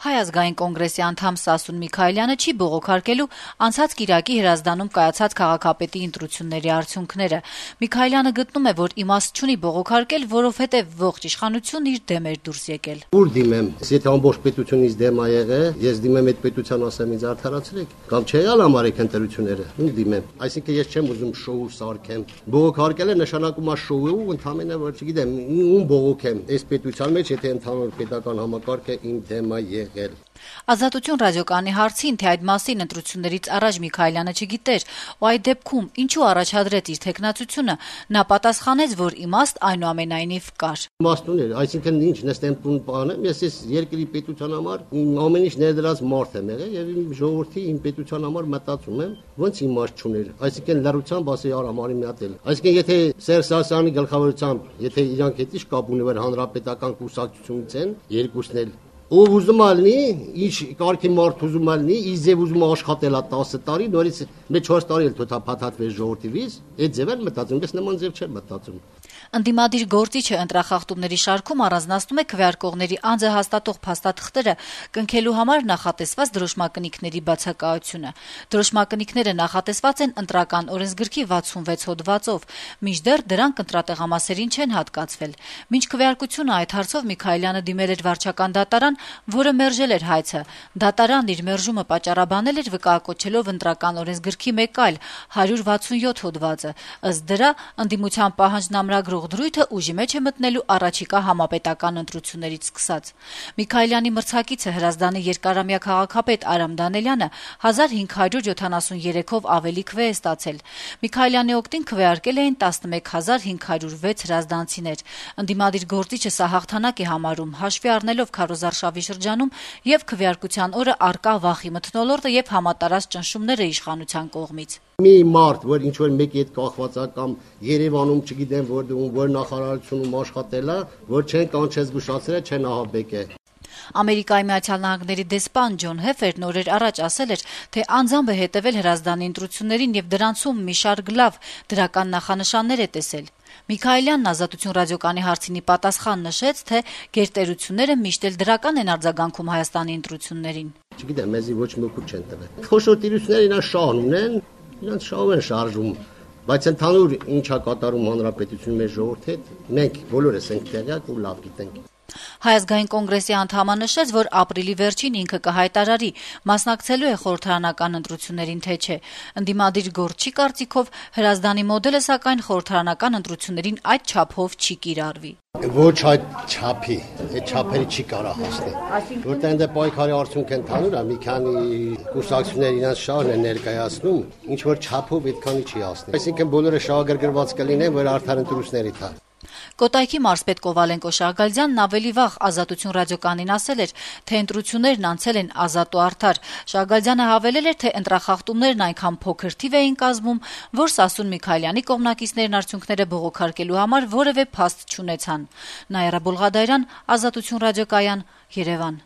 Հայ ազգային կոնգրեսի անդամ Սասուն Միքայելյանը չի բողոքարկելու անցած կիրակի Հրազդանում կայացած քաղաքապետի ընտրությունների արդյունքները։ Միքայելյանը գտնում է, որ իմաստ չունի բողոքարկել, որովհետև ողջ իշխանությունն իր դեմ էր դուրս եկել։ Ուր դիմեմ, եթե ամբողջ պետությունից դեմ ա եղել, ես դիմեմ այդ պետության ասեմ ինձ արդարացրեք, կամ չի եղել համարեք ընտրությունները, ում դիմեմ։ Այսինքն ես չեմ ուզում շոու սարքեմ։ Բողոքարկելը նշանակում է շոու, ընդհանրապես որ չգիտեմ, ում բողոքեմ։ Այս պետության մեջ եթե ընդհանուր պետական համակարգը իմ դեմ է եղել։ Ազատություն ռադիոկայանի հարցին, թե այդ մասին ընտրություններից առաջ Միքայելյանը չգիտեր, ու այդ դեպքում ինչու առաջադրեց իր թեկնածությունը, նա պատասխանեց, որ իմաստ այնուամենայնիվ կար։ Իմաստ ուներ, այսինքն ինչ նստեմ տուն բանեմ, ես երկրի պետության համար ամեն ինչ ներդրած մարդ եմ եղել եւ իմ ժողովրդի իմ պետության համար մտածում եմ, ոնց իմաստ չուներ, այսինքն լրությամբ ասի արամարի միատել։ Այսինքն եթե Սերժ Սարգսյանի գլխավորությամբ, եթե իրանք հետ ինչ կապ ունի, որ հանրապետական կուսակցությունից են, երկուսն էլ ով ուզում ալնի, ինչ կարգի մարդ ուզում ալնի, իզև ուզում աշխատել 10 տարի, նորից մեկ 4 տարի էլ թոթա փաթաթվեց ժողովրդիվից, այդ ձև էլ մտածում, ես նման ձև չեմ մտածում։ Ընդդիմադիր գործիչը ընտրախախտումների շարքում առանձնացնում է քվեարկողների անձը հաստատող փաստաթղթերը կնքելու համար նախատեսված դրոշմակնիկների բացակայությունը։ Դրոշմակնիկները նախատեսված են ընտրական օրենսգրքի 66 հոդվածով, մինչդեռ դրանք ընտրատեղամասերին չեն հատկացվել։ Մինչ քվեարկությունը այդ հարցով Միքայելյանը դիմել էր վարչական դատարան, որը մերժել էր հայցը։ Դատարանն իր մերժումը պատճառաբանել էր վկայակոչելով ընտրական օրենսգրքի մեկ այլ 167 հոդվածը։ Ըստ դրա ընդդիմության պահանջն ամրագրող դրույթը ուժի մեջ է մտնելու առաջիկա համապետական ընտրություններից սկսած։ Միքայելյանի մրցակիցը Հրազդանի երկարամյա քաղաքապետ Արամ Դանելյանը 1573-ով ավելի քվե է ստացել։ Միքայելյանի օգտին քվեարկել էին 11506 հրազդանցիներ։ Ընդդիմադիր գործիչը սա հաղթանակ է համարում, հաշվի առնելով քարոզարշավի շրջանում եւ քվեարկության օրը արկա վախի մթնոլորտը եւ համատարած ճնշումները իշխանության կողմից։ Մի մարդ, որ ինչ որ մեկի հետ կախված է կամ Երևանում, չգիտեմ, որ նախարարությունում աշխատել է, որ չեն կանչել զգուշացրել, չեն ահաբեկել։ Ամերիկայի Միացյալ Նահանգների դեսպան Ջոն Հեֆերն օրեր առաջ ասել էր, թե անձամբ է հետևել Հրազդանի ընտրություններին եւ դրանցում մի շարք լավ դրական նախանշաններ է տեսել։ Միքայելյանն Ազատություն ռադիոկայանի հարցինի պատասխան նշեց, թե գերտերությունները միշտ էլ դրական են արձագանքում Հայաստանի ընտրություններին։ Չգիտեմ, մեզի ոչ մի օգուտ չեն տվել։ Խոշոր տիրությունները իրան շահ ունեն, իրանց շահով են շարժում, բայց ընդհանուր ինչա կատարում հանրապետությունի մեր ժողովրդի հետ, մենք բոլորս ենք տեղյակ ու լավ գիտենք։ Հայ ազգային կոնգրեսի անդամը նշեց, որ ապրիլի վերջին ինքը կհայտարարի մասնակցելու է խորհրդարանական ընտրություններին, թե չէ։ Ընդդիմադիր գործչի կարծիքով Հրազդանի մոդելը սակայն խորհրդարանական ընտրություններին այդ չափով չի կիրառվի։ Ոչ այդ չափի, այդ չափերի չի կարա հասնել։ Որտեղ այնտեղ պայքարի արդյունք ընդհանուր է, մի քանի կուսակցություններ իրենց շահն են ներկայացնում, ինչ որ չափով այդքանի չի հասնել։ Այսինքն բոլորը շահագրգռված կլինեն, որ արդար ընտրությունների թա։ Կոտայքի մարզպետ Կովալենկո Շահգալյանն ավելի վաղ Ազատություն ռադիոկայանին ասել էր, թե ընտրություններն անցել են ազատ ու արդար։ Շահգալյանը հավելել էր, թե ընտրախախտումներն այնքան փոքր թիվ էին կազմում, որ Սասուն Միքայելյանի կողմնակիցներն արդյունքները բողոքարկելու համար որևէ փաստ չունեցան։ Նաիրա Բոլղադարյան, Ազատություն ռադիոկայան, Երևան։